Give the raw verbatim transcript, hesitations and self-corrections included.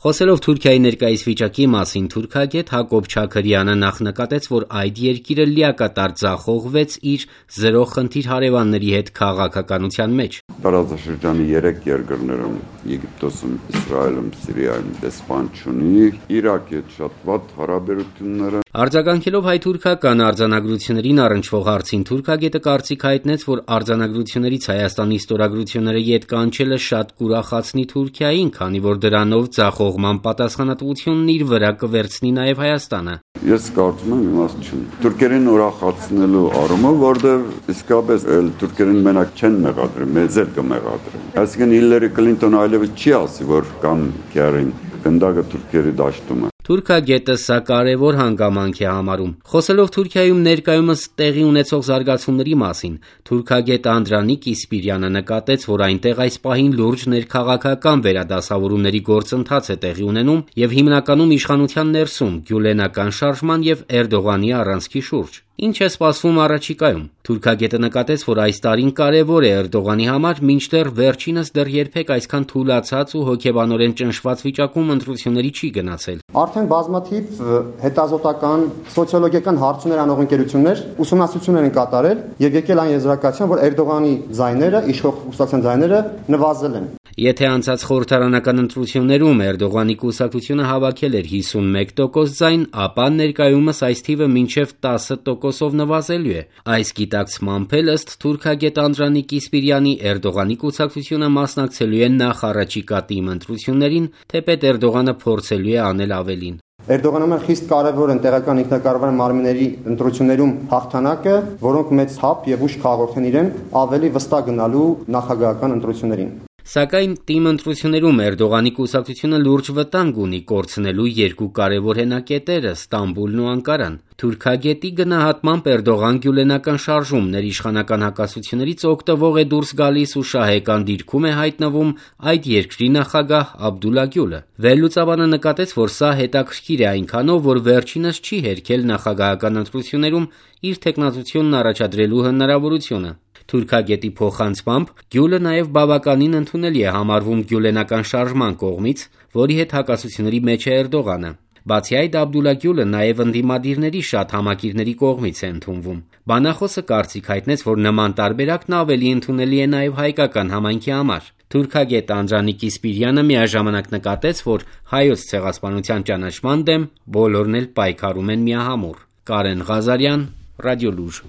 Խոսելով Թուրքիայի ներկայիս վիճակի մասին, թուրքագետ Հակոբ Չաքրյանը նախ նկատեց, որ այդ երկիրը լիակատար ձախողվեց իր զրո խնդիր հարևանների հետ քաղաքականության մեջ։ Տարածաշրջանի երեք երկրներում՝ Եգիպտոսում, Իսրայելում, Սիրիայում դեսպան չունի, Իրաքի հետ շատ վատ հարաբերությունները։ Արձագանքելով հայ-թուրքական արձանագրություններին առնչվող հարցին, թուրքագետը կարծիք հայտնեց, որ արձանագրություններից Հայաստանի ստորագրությունները ետ կանչելը շատ կուրախացնի Թուրքիային, քանի որ դրանով ձախողման պատասխանատվությունն իր վրա կվերցնի նաև Հայաստանը։ Ես կարծում եմ իմաստ չունի։ Թուրքերին ուրախացնելու առումով, որտեղ իսկապես էլ թուրքերին մենակ չեն մեղադրի, մեզ էլ կմեղադրեն։ Այսինքն Հիլարի Քլինտոնը այլևս չի ասի, որ կամ Քյարին գնդակը թուրքերի դաշտում է։ Թուրքագետը սա կարևոր հանգամանք է համարում։ Խոսելով Թուրքիայում ներկայումս տեղի ունեցող զարգացումների մասին, թուրքագետ Անդրանիկ Իսպիրյանը նկատեց, որ այնտեղ այս պահին լուրջ ներքաղաքական վերադասավորումների գործընթաց է տեղի ունենում եւ հիմնականում իշխանության ներսում գյուլենական շարժման եւ Էրդողանի առանցքի շուրջ։ Ինչ է սպասվում առաջիկայում։ Թուրքագետը նկատեց, որ այս տարին կարևոր է Էրդողանի համար, մինչդեռ վերջինս դեռ երբեք այսքան թուլացած ու հոգեբանորեն ճնշված վիճակում ընտրությունների չի գնացել։ Արդեն բազմաթիվ հետազոտական, սոցիոլոգիական հարցումներ անող ընկերություններ ուսումնասիրություններ են կատարել եւ եկել այն եզրակացության, որ Էրդողանի ձայները, իշխող կուսակցության ձայները նվազել են։ Եթե անցած խորհրդարանական ընտրություններում Էրդողանի կուսակցությունը հավաքել էր հիսունմեկ տոկոս ձայն, ապա ներկայումս այս թիվը մինչև տասը տոկոսով նվազելու է։ Այս գիտակցմամբ էլ ըստ թուրքագետ Անդրանիկ Իսպիրյանի Էրդողանի կուսակցությունը մասնակցելու է նախառաջիկա տիմ ընտրություններին, թեպետ Էրդողանը փորձելու է անել ավելին։ Էրդողանի համար խիստ կարևոր են տեղական ինքնակառավարման մարմինների ընտրություններում հաղթանակը, որոնք մեծ թափ եւ ուժ կհաղորդեն իրեն ավելի վստահ գնալու նախագահական ընտրություններին։ Սակայն տիմ ընտրություններում Էրդողանի կուսակցությունը լուրջ վտանգ ունի կորցնելու երկու կարևոր հենակետերը՝ Ստամբուլն ու Անկարան։ Թուրքագետի գնահատմամբ Էրդողան գյուլենական շարժումներ իշխանական հակասություններից օգտվող է դուրս գալիս ու շահեկան դիրքում է հայտնվում այդ երկրի նախագահ Աբդուլլա Գյուլը։ Վերլուծաբանը նկատեց, որ սա հետաքրքիր է այնքանով, որ վերջինս չի հերքել նախագահական ընտրություններում իր թեկնածությունն առաջադրելու հնարավորությունը։ Թուրքագետի փոխանցմամբ Գյուլը նաև բավականին ընդունելի է համարվում գյուլենական շարժման կողմից, որի հետ հակասությունների մեջ է Էրդողանը։ Բացի այդ, Աբդուլլա Գյուլը նաև ընդդիմադիրների շատ համակիրների կողմից է ընդունվում։ Բանախոսը կարծիք հայտնեց, որ նման տարբերակն ավելի ընդունելի է նաև հայկական համայնքի համար։ Թուրքագետ Անդրանիկ Իսպիրյանը միաժամանակ նկատեց, որ հայոց ցեղասպանության ճանաչման դեմ բոլորն էլ պայքարում են միահամուռ։ Կարեն Ղազարյան, Ռադիոլուր։